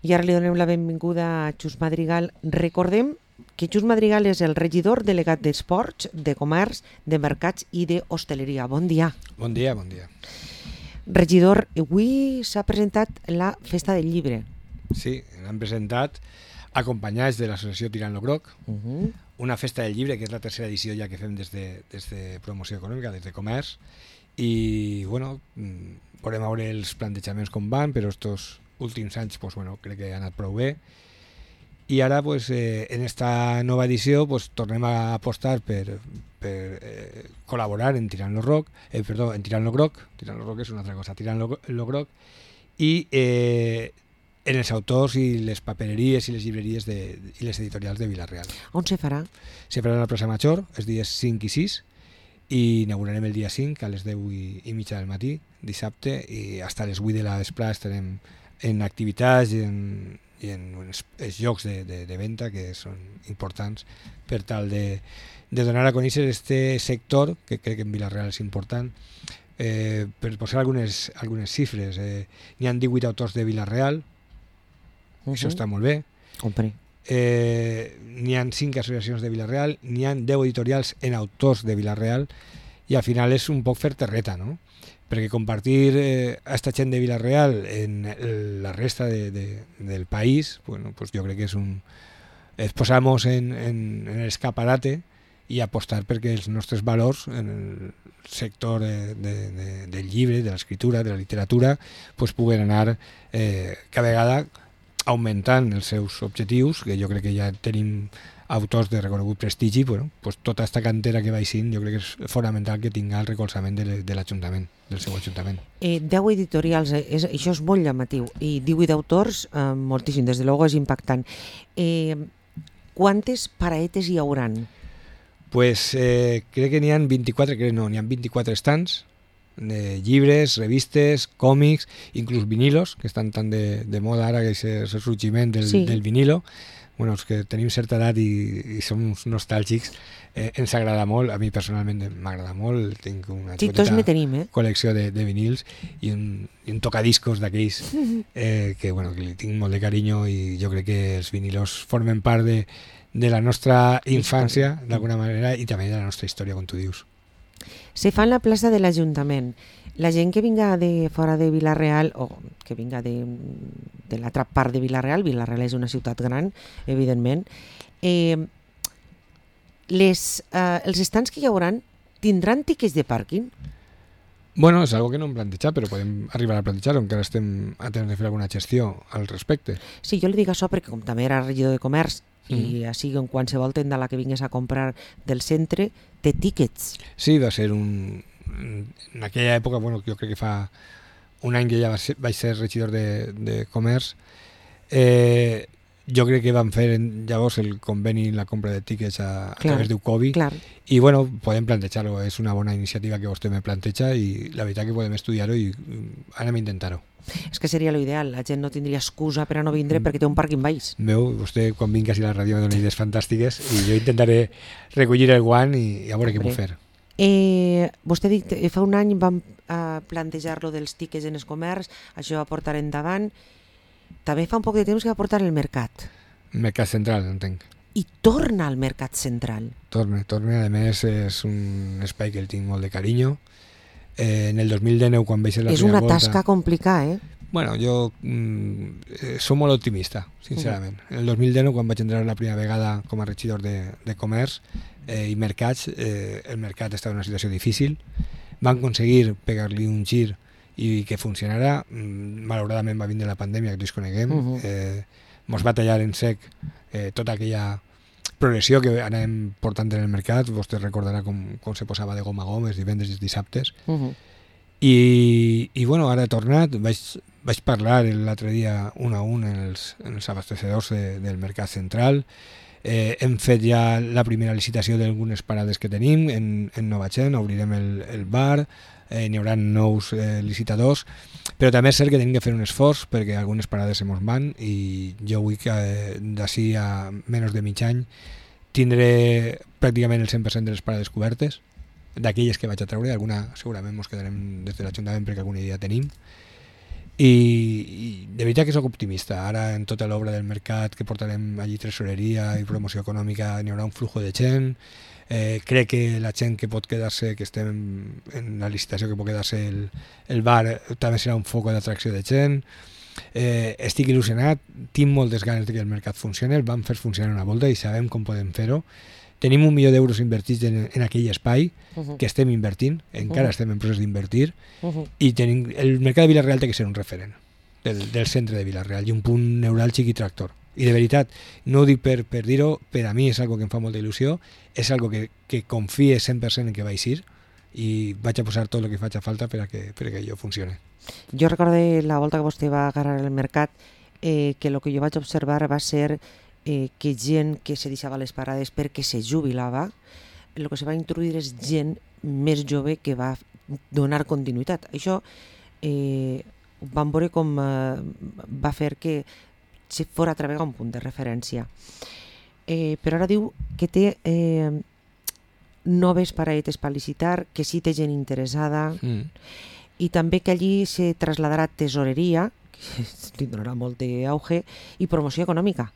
I ara li donem la benvinguda a Xus Madrigal. Recordem que Xus Madrigal és el regidor delegat d'Esports, de Comerç, de Mercats i d'Hostaleria. Bon dia. Bon dia, bon dia. Regidor, avui s'ha presentat la Festa del Llibre. Sí, l'han presentat acompanyats de l'associació Tirant-lo Groc, una festa del llibre, que és la tercera edició ja que fem des de promoció econòmica, des de comerç, i bueno, podem veure els plantejaments com van, però estos últims anys pues, bueno, crec que ha anat prou bé. I ara pues, en esta nova edició pues, tornem a apostar per col·laborar en Tirant-lo Groc, en Tirant-lo Groc és una altra cosa, Tirant-lo Groc, i en els autors i les papereries i les llibreries i les editorials de Vila-real. On se farà? Se farà a la plaça Major, els dies 5 i 6, i inaugurarem el dia 5 a les 10 i mitja del matí, dissabte, i fins a les 8 de la vesprada estarem en activitats i en els llocs de venda que són importants per tal de donar a conèixer este sector, que crec que en Vila-real és important. Per posar algunes xifres, n'hi ha 18 autors de Vila-real, això està molt bé. Compre. N'hi ha 5 associacions de Vila-real, n'hi ha 10 editorials en autors de Vila-real, i al final és un poc fer terreta, no? Perquè compartir a esta gent de Vila-real en la resta del país, bueno, pues jo crec que és posar-nos en l'escaparate i apostar perquè els nostres valors en el sector del llibre, de l'escriptura, de la literatura, pues puguen anar cada vegada augmentant els seus objectius, que jo crec que ja tenim autors de reconegut prestigi, bueno, pues tota aquesta cantera que baixin jo crec que és fonamental que tinga el recolzament de l'Ajuntament, del seu Ajuntament. 10 editorials, això és molt llamatiu, i 18 autors, moltíssim, des de luego és impactant. Quantes paraetes hi hauran? Pues crec que n'hi ha 24, n'hi ha 24 stands de llibres, revistes, còmics, inclús vinilos, que estan tan de moda ara, que és el sorgiment del vinilo. Bueno, els que tenim certa edat i som uns nostàlgics, ens agrada molt, a mi personalment m'agrada molt, tinc una col·lecció de vinils i un tocadiscos d'aquells que li tinc molt de carinyo, i jo crec que els vinilos formen part de la nostra infància, d'alguna manera, i també de la nostra història, com tu dius. Se fa en la plaça de l'Ajuntament. La gent que vinga de fora de Vila-real, o que vinga de l'altra part de Vila-real, Vila-real és una ciutat gran, evidentment, els estants que hi haurà tindran tiquets de pàrquing? Bueno, és algo que no hem plantejat, però podem arribar a plantejar-ho, encara estem a temps de fer alguna gestió al respecte. Sí, jo li dic això perquè com també era regidor de comerç, i així en qualsevol tenda a la que vingués a comprar del centre té tíquets. Sí, va ser en aquella època, bueno, jo crec que fa un any que ja vaig ser regidor de comerç, jo crec que vam fer llavors el conveni, la compra de tíquets a través d'Ucovi, i bueno, podem plantejar-ho, és una bona iniciativa que vostè me planteja, i la veritat que podem estudiar-ho i anem a intentar-ho. És que seria l'ideal, la gent no tindria excusa per a no vindre perquè té un pàrquing baix. Veu, vostè quan vingués a la ràdio me dona idees fantàstiques i jo intentaré recollir el guant i a veure què puc fer. Vostè ha dit, fa un any vam plantejar-lo dels tiquets en el comerç, això va portar endavant. També fa un poc de temps que va portar el mercat. El mercat central, entenc. I torna al mercat central. Torna, a més és un espai que el tinc molt de carinyo. En el 2019, quan vaig ser la primera volta... És una tasca complicada, Bueno, jo soc molt optimista, sincerament. En el 2019, quan vaig entrar la primera vegada com a regidor de comerç i mercats, el mercat estava en una situació difícil. Vam aconseguir pegar-li un gir i que funcionara. Malauradament va vindre la pandèmia, que tots coneguem. Mos va tallar en sec tota aquella progressió que anem portant en el mercat. Vostè recordarà com se posava de gom a gom els divendres i els dissabtes. I bueno, ara he tornat, vaig parlar l'altre dia un a un en els abastecedors del mercat central. Hem fet ja la primera licitació d'algunes parades que tenim en Novagent, obrirem el bar, n'hi haurà nous licitadors, però també és cert que tenim que fer un esforç perquè algunes parades se mos van, i jo vull que d'ací a menys de mig any tindré pràcticament el 100% de les parades cobertes, d'aquelles que vaig a treure. Alguna segurament ens quedarem des de l'Ajuntament perquè alguna idea tenim, i de veritat que sóc optimista. Ara en tota l'obra del mercat que portarem allí tresoreria i promoció econòmica n'hi haurà un flujo de gent. Crec que la gent que pot quedar-se, que estem en la licitació, que pot quedar-se el bar, també serà un foc d'atracció de gent. Estic il·lusionat, tinc moltes ganes de que el mercat funcioni, el vam fer funcionar una volta i sabem com podem fer-ho. Tenim 1 milió d'euros invertits en aquell espai que estem invertint, encara estem en procés d'invertir, i el mercat de Vila-real té que ser un referent del centre de Vila-real i un punt neuràlgic i tractor. I de veritat, no ho dic per dir-ho, per a mi és algo que em fa molta il·lusió, és algo que confie 100% en que vaig ir i vaig a posar tot el que faci falta per a que allò funcioni. Jo recordo la volta que vostè va agarrar el mercat que el que jo vaig observar va ser que gent que se deixava les parades perquè se jubilava, el que se va introduir és gent més jove que va donar continuïtat. Això vam veure com va fer que se fos a través un punt de referència. Però ara diu que té noves paradetes per licitar, que sí té gent interessada, i també que allí se trasladarà tesoreria, que li donarà molt d'auge, i promoció econòmica.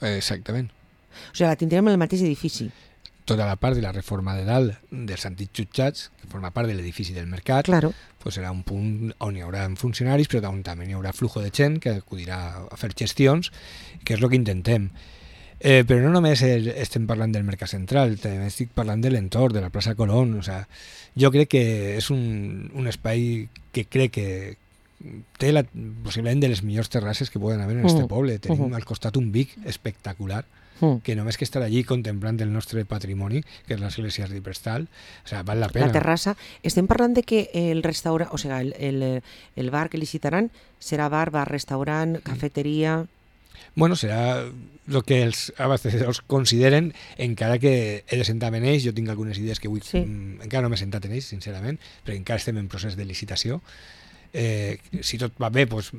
Exactament. O sigui, la tindrem en el mateix edifici. Tota la part de la reforma de dalt dels antics jutjats, que forma part de l'edifici del mercat, claro, pues serà un punt on hi haurà funcionaris, però on també hi haurà flujo de gent que acudirà a fer gestions, que és el que intentem. Però no només estem parlant del mercat central, també estic parlant de l'entorn, de la plaça Colón. O sea, jo crec que és un espai que crec que té possiblement de les millors terrasses que poden haver en este poble. Tenim al costat un Vic espectacular, que només que estar allí contemplant el nostre patrimoni, que és l'església d'Hiperstal, o sea, val la pena. La terrassa. Estem parlant de que el restaurant, o sigui, el bar que licitaran serà bar, restaurant, cafeteria... Bueno, serà el que els abastecedors consideren, encara que he de sentar en ells. Jo tinc algunes idees que avui encara no m'he sentat en ells, sincerament, perquè encara estem en procés de licitació. Si tot va bé, doncs,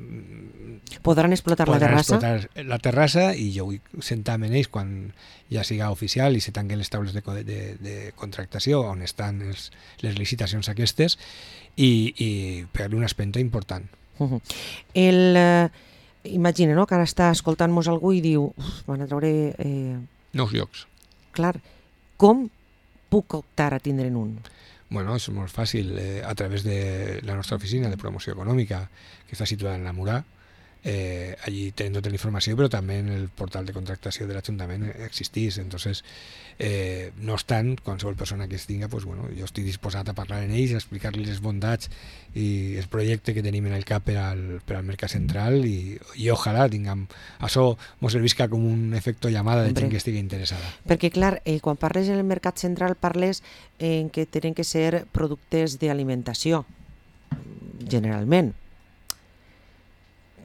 podran explotar la terrassa, i jo vull sentar en ells quan ja siga oficial i se tanquen les taules de contractació on estan les licitacions aquestes, i pegar-li una espenta important. Imagina, no?, que ara està escoltant-nos algú i diu van a treure... nous llocs. Clar, com puc optar a tindre'n un? Bueno, és molt fàcil, a través de la nostra oficina de promoció econòmica, que està situada en la Murà. Allí tenen tota la informació, però també en el portal de contractació de l'Ajuntament existís. Entonces, no obstant, qualsevol persona que es tinga, pues, bueno, jo estic disposat a parlar amb ells, a explicar-los les bondats i el projecte que tenim en el cap per al mercat central, i ojalà tinguem això mos servisca com un efecte llamada de gent que estigui interessada. Perquè, clar, quan parles en el mercat central parles en que tenen que ser productes d'alimentació, generalment.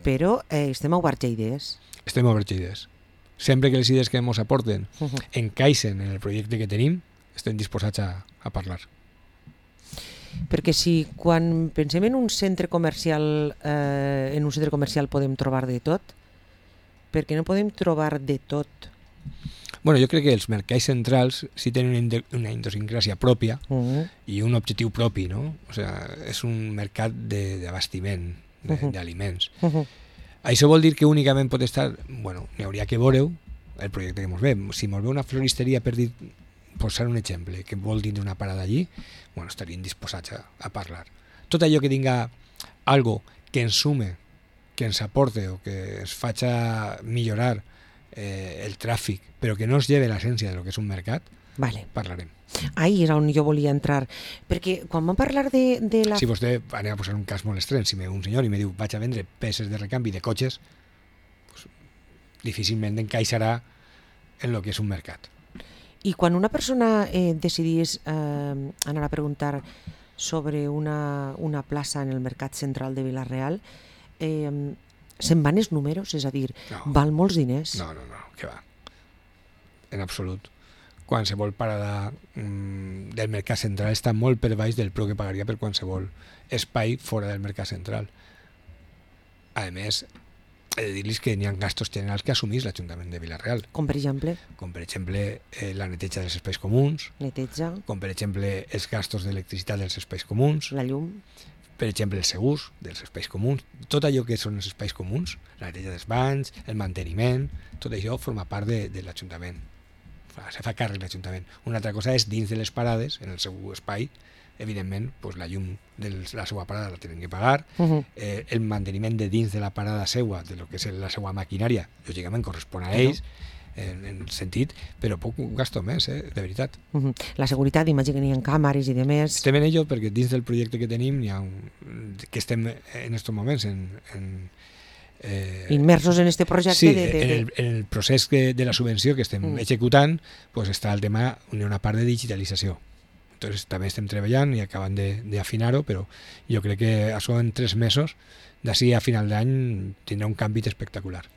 Però estem oberts a idees. Estem oberts a idees. Sempre que les idees que ens aporten encaixen en el projecte que tenim, estem disposats a parlar. Perquè si quan pensem en un centre comercial podem trobar de tot, perquè no podem trobar de tot? Bueno, jo crec que els mercats centrals sí tenen una idiosincràsia pròpia i un objectiu propi, no? O sea, és un mercat d'abastiment, d'aliments. Això vol dir que únicament pot estar... Bueno, n'hi hauria que veure el projecte que ens ve. Si ens ve una floristeria, per dir, posar un exemple, que vol tindre una parada allí, bueno, estaríem disposats a parlar. Tot allò que tinga algo que ens sume, que ens aporte o que ens faci millorar el tràfic, però que no ens lleve l'essència del que és un mercat, parlarem. Ahí és on jo volia entrar, perquè quan vam parlar de la... Si vostè, anem a posar un cas molt estrany, si un senyor i me diu vaig a vendre peces de recanvi de cotxes, pues, difícilment encaixarà en el que és un mercat. I quan una persona decidís anar a preguntar sobre una plaça en el mercat central de Vila-real, se'n van els números? És a dir, val molts diners? No, què va. En absolut. Qualsevol parada del mercat central està molt per baix del preu que pagaria per qualsevol espai fora del mercat central. A més, he de dir-los que n'hi ha gastos generals que assumís l'Ajuntament de Vila-real. Com per exemple? Com per exemple la neteja dels espais comuns. Neteja. Com per exemple els gastos d'electricitat dels espais comuns. La llum. per exemple, els segurs dels espais comuns, tot allò que són els espais comuns, la neteja dels banys, el manteniment, tot això forma part de l'Ajuntament. Se fa càrrec l'Ajuntament. Una altra cosa és dins de les parades, en el seu espai, evidentment, pues, la llum de la seva parada la tenen que pagar, el manteniment de dins de la parada seua, de lo que és la seva maquinària, lògicament correspon a ells, en sentit, però poc gasto més, de veritat. La seguretat, imagino que n'hi ha càmeres i de més. Estem en ello perquè dins del projecte que tenim n'hi ha que estem en aquests moments immersos en este projecte. Sí, en el procés de la subvenció que estem executant, pues està el tema, una part de digitalització. Entonces també estem treballant i acabant d'afinar-ho, però jo crec que això en 3 mesos, d'ací a final d'any, tindrà un canvi espectacular.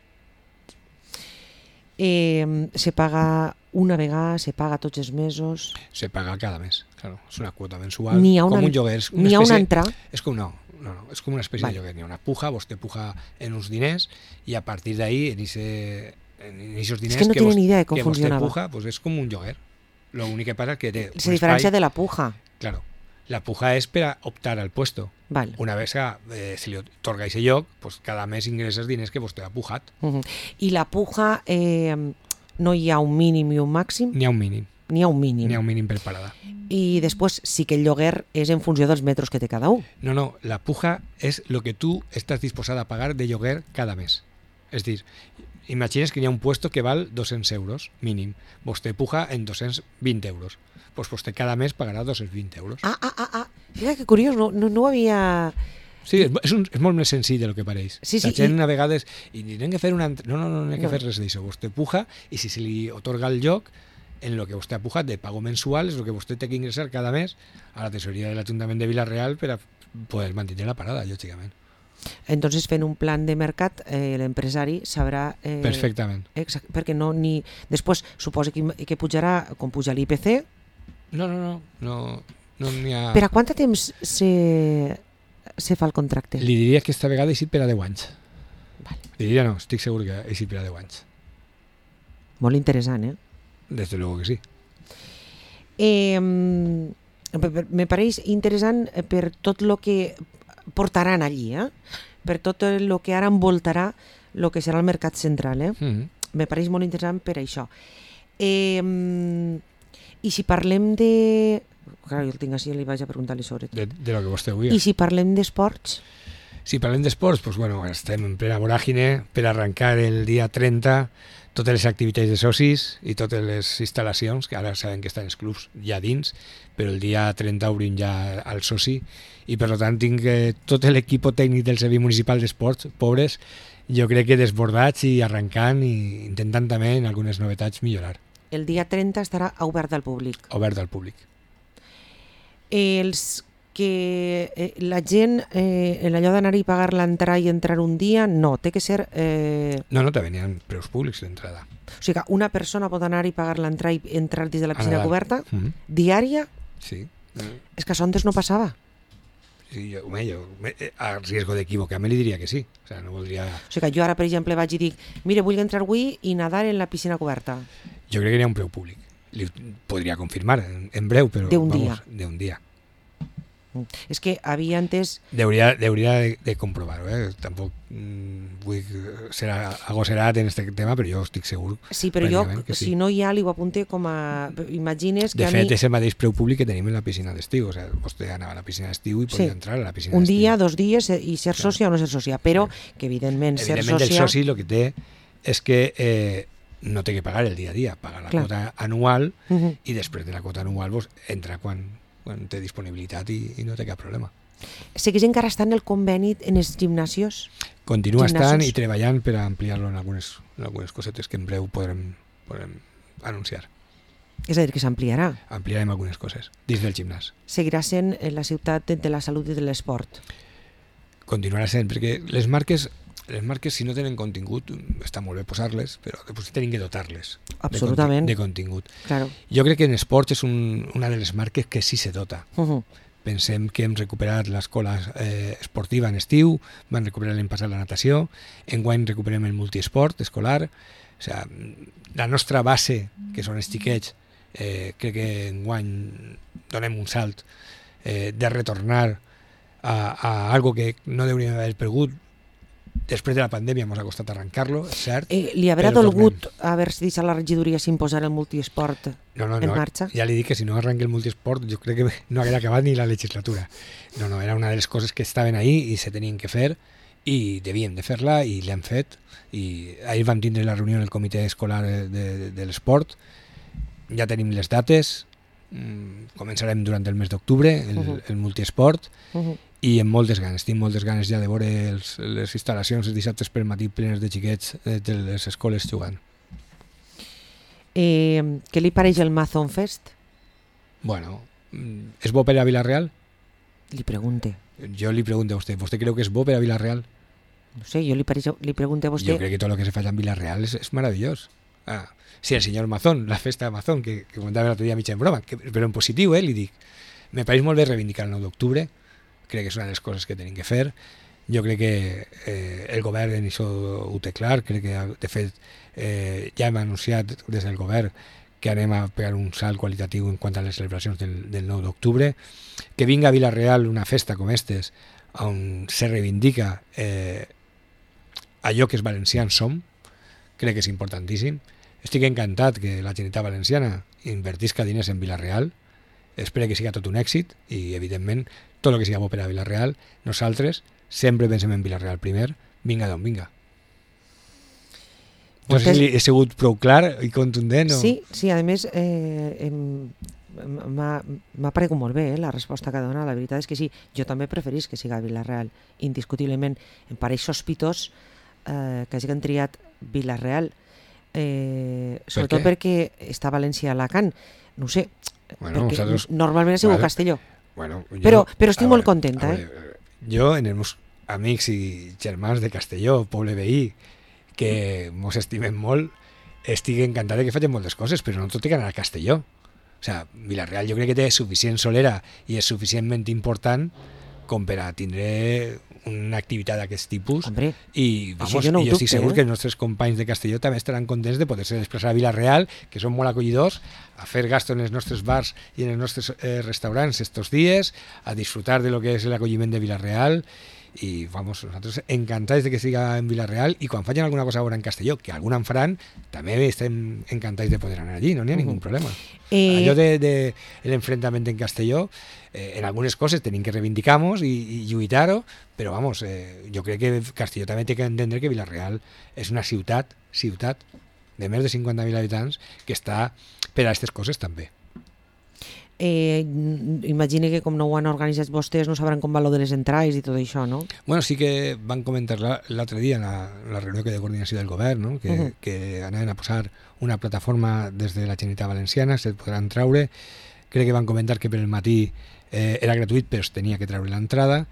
Se paga una vegada, se paga tots els mesos? Se paga cada mes, claro. És una quota mensual, com un lloguer. N'hi ha una entrada? És com, no, és com una espècie de lloguer. N'hi ha una puja, vostè puja en uns diners i a partir d'ahí, en aquests diners és que no tenen idea de com funcionava. Vostè puja, pues és com un lloguer. L'únic que passa és que té un espai... diferència de la puja. Claro. La puja és per a optar al puesto. Vale. Una vez que se li otorga aquest lloc, pues cada mes ingressa els diners que vostè ha pujat. I la puja, no hi ha un mínim i un màxim? N'hi ha un mínim. N'hi ha un mínim. N'hi ha un mínim per parada. I després sí que el lloguer és en funció dels metres que té cada un. No, la puja és el que tu estàs disposat a pagar de lloguer cada mes. És dir, imagines que hi ha un puesto que val 200 euros mínim. Vostè puja en 220 euros. Pues vostè cada mes pagarà 220 euros. Mira que curiós, no ho havia... Sí, és molt més senzill del que pareix. Sí, la gent a vegades... I n'hem que fer una... No n'hem que fer res d'això. Vostè puja i si se li otorga el lloc en el que vostè ha pujat de pago mensual és el que vostè té que ingressar cada mes a la tesoreria de l'Ajuntament de Vila-real per a poder mantenir la parada, lògicament. Entonces, fent un plan de mercat, l'empresari sabrà... Perfectament. Exacte, perquè no ni... Després, suposa que pujarà, com puja l'IPC... No n'hi ha... Per a quant temps se fa el contracte? Li diria que esta vegada eixit per a 10 anys. Vale. Li diria no, estic segur que eixit per a 10 anys. Molt interessant, eh? Desde luego que sí. Me pareix interessant per tot el que portaran allí, per tot el que ara envoltarà el que serà el mercat central. Me pareix molt interessant per això. I si parlem de... Clar, jo el tinc així i li vaig a preguntar-li sobre tot. De lo que vostè vull. I si parlem d'esports? Si parlem d'esports, pues bueno, estem en plena voràgine per arrencar el dia 30 totes les activitats de socis i totes les instal·lacions, que ara saben que estan els clubs ja dins, però el dia 30 obrim ja al soci i per tant tinc tot l'equip tècnic del Servei Municipal d'Esports, pobres, jo crec que desbordats i arrencant i intentant també en algunes novetats millorar. El dia 30 estarà obert al públic. Obert al públic. La gent, allò d'anar-hi a pagar l'entrada i entrar un dia, no, té que ser... No, també n'hi ha preus públics d'entrada. O sigui que una persona pot anar-hi a pagar l'entrada i entrar dins de la piscina coberta, diària? Sí. És que això antes no passava. Sí, jo a riesgo d'equivocar-me li diria que sí. O sigui, no voldria... O sigui que jo ara, per exemple, vaig i dic, mira, vull entrar avui i nadar en la piscina coberta. Jo crec que n'hi ha un preu públic. Li podria confirmar en breu, però... D'un dia. És que havia antes... Deuria de comprovar-ho, Tampoc vull ser agoserat en aquest tema, però jo estic segur... Sí, però jo, si no hi ha, li ho apunte com a... Imagines que de fet, és el mateix preu públic que tenim en la piscina d'estiu. O sigui, vostè anava a la piscina d'estiu i podia entrar a la piscina d'estiu. Un dia, 2 dies, i ser sòcia o no ser sòcia, però que evidentment ser sòcia... Evidentment el soci el que té és que no té que pagar el dia a dia, paga la quota anual i després de la quota anual entra quan té disponibilitat i no té cap problema. Segueix encara estant el conveni en els gimnasios? Continua estant i treballant per ampliar-lo en algunes cosetes que en breu podrem anunciar. És a dir, que s'ampliarà? Ampliarem algunes coses dins del gimnàs. Seguirà sent la ciutat de la salut i de l'esport? Continuarà sent, perquè les marques, si no tenen contingut, està molt bé posar-les, però després tenen que dotar-les de contingut. Claro. Jo crec que en esports és una de les marques que sí se dota. Pensem que hem recuperat l'escola esportiva en estiu, van recuperar l'any passat la natació, enguany recuperem el multiesport escolar. O sigui, la nostra base, que són els xiquets, crec que enguany donem un salt de retornar a algo que no hauríem d'haver perdut. Després de la pandèmia ens ha costat arrencar-lo, és cert. Li haurà dolgut haver-se deixat la regidoria sin posar el multiesport en marxa? Ja li dic que si no arrenca el multiesport jo crec que no haguera acabat ni la legislatura. No, era una de les coses que estaven ahí i se tenien que fer i devíem de fer-la i l'hem fet. I ahir vam tindre la reunió en el comitè escolar de l'esport, ja tenim les dates, començarem durant el mes d'octubre el multiesport i amb moltes ganes, tinc moltes ganes ja de veure les instal·lacions els dissabtes per matí plenes de xiquets de les escoles jugant. Què li pareix el Mazón Fest? Bueno, és bo per a Vila-real? Li pregunte. Jo li pregunto a vostè. ¿Vostè creu que és bo per a Vila-real? No sé, jo li pregunto a vostè. Jo crec que tot el que se fa en Vila-real és meravellós. Sí, el senyor Mazón, la festa de Mazón, que comentava l'altre dia mig en broma, però en positiu, li dic. Me pareix molt bé reivindicar el 9 d'octubre, crec que és una de les coses que tenim que fer. Jo crec que el govern en això ho té clar, crec que de fet ja hem anunciat des del govern que anem a pegar un salt qualitatiu en quant a les celebracions del 9 d'octubre, que vinga a Vila-real una festa com aquestes on se reivindica allò que els valencians som, crec que és importantíssim. Estic encantat que la Generalitat Valenciana invertisca diners en Vila-real, espero que siga tot un èxit i evidentment tot el que siga bo per a Vila-real, nosaltres sempre pensem en Vila-real primer, vinga d'on vinga. No sé si he sigut prou clar i contundent. Sí, a més m'ha paregut molt bé la resposta que dona. La veritat és que sí, jo també preferís que siga Vila-real, indiscutiblement. Em pareix sospitós que hagin triat Vila-real, sobretot perquè està València a Alacant. No ho sé, perquè normalment ha sigut Castelló. Però estic molt contenta. Jo, en els meus amics i germans de Castelló, poble veí, que mos estimem molt, estic encantat que facin moltes coses, però no tot té que anar a Castelló. O sigui, Vila-real jo crec que té suficient solera i és suficientment important com per a tindre una activitat d'aquest tipus. Hombre, i jo estic segur que els nostres companys de Castelló també estaran contents de poder-se desplaçar a Vila-real, que són molt acollidors, a fer gasto en els nostres bars i en els nostres restaurants estos dies, a disfrutar de lo que és l'acolliment de Vila-real. I nosaltres encantats de que siga en Vila-real i quan facin alguna cosa ara en Castelló, que alguna en faran, també estem encantats de poder anar allí, no n'hi ha ningú problema. Allò de l'enfrontament en Castelló, en algunes coses tenim que reivindicar-nos i lluitar-ho, però jo crec que Castelló també té que entendre que Vila-real és una ciutat de més de 50.000 habitants que està per a aquestes coses també. Imagine que com no ho han organitzat vostès no sabran com va lo de les entrades i tot això, no? Bueno, sí que van comentar l'altre dia en la reunió de coordinació del govern, no? Que anaven a posar una plataforma des de la Generalitat Valenciana, se't podran treure. Crec que van comentar que per el matí era gratuït però es tenia que treure l'entrada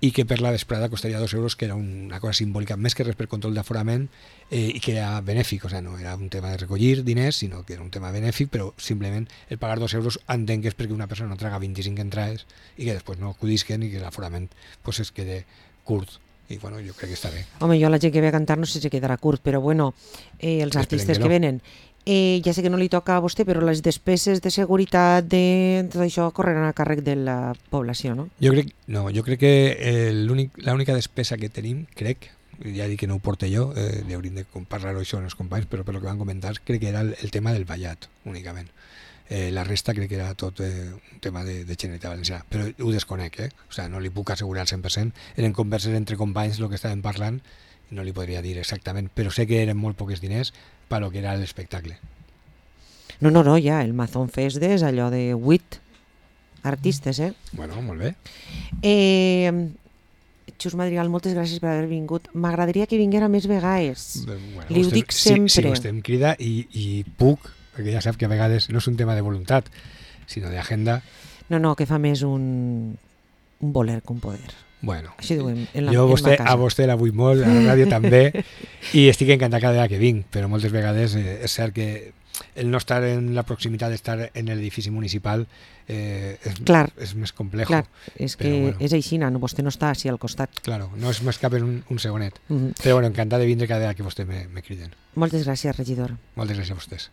i que per la vesprada costaria 2 euros, que era una cosa simbòlica, més que res per control d'aforament i que era benèfic, o sigui, no era un tema de recollir diners, sinó que era un tema benèfic, però simplement el pagar 2 euros entenc que és perquè una persona no traga 25 entrades i que després no acudisquen i que l'aforament pues, es quede curt. I bueno, jo crec que està bé. Home, jo la gent que ve a cantar no sé si quedarà curt, però bueno, els artistes que venen, ja sé que no li toca a vostè, però les despeses de seguretat de tot això correran a càrrec de la població, no? Jo crec que l'única despesa que tenim, crec, ja dic que no ho porto jo, hauríem de parlar-ho això amb els companys, però per lo que van comentar, crec que era el tema del ballat, únicament. La resta crec que era tot un tema de Generalitat Valenciana, però ho desconec, o sigui, no li puc assegurar al 100%, eren converses entre companys el que estàvem parlant, no li podria dir exactament, però sé que eren molt pocs diners per lo que era l'espectacle. No, ja, el Mazón Fest és allò de 8 artistes, Bueno, molt bé. Xus Madrigal, moltes gràcies per haver vingut. M'agradaria que vinguera més vegades. Bueno, li ho dic sempre. Sí, vostè em crida i puc, perquè ja sap que a vegades no és un tema de voluntat, sinó d'agenda. No, que fa més un voler que un poder. Bueno, així diuen en la casa. A vostè la vull molt, a la ràdio també, i estic encantat cada vegada que vinc, però moltes vegades és cert que el no estar en la proximitat d'estar en l'edifici municipal és més complex. Clar, és que bueno, és així, vostè no està així al costat. Claro, no és més cap en un segonet. Però bueno, encantat de vindre cada vegada que vostè me criden. Moltes gràcies, regidor. Moltes gràcies a vostès.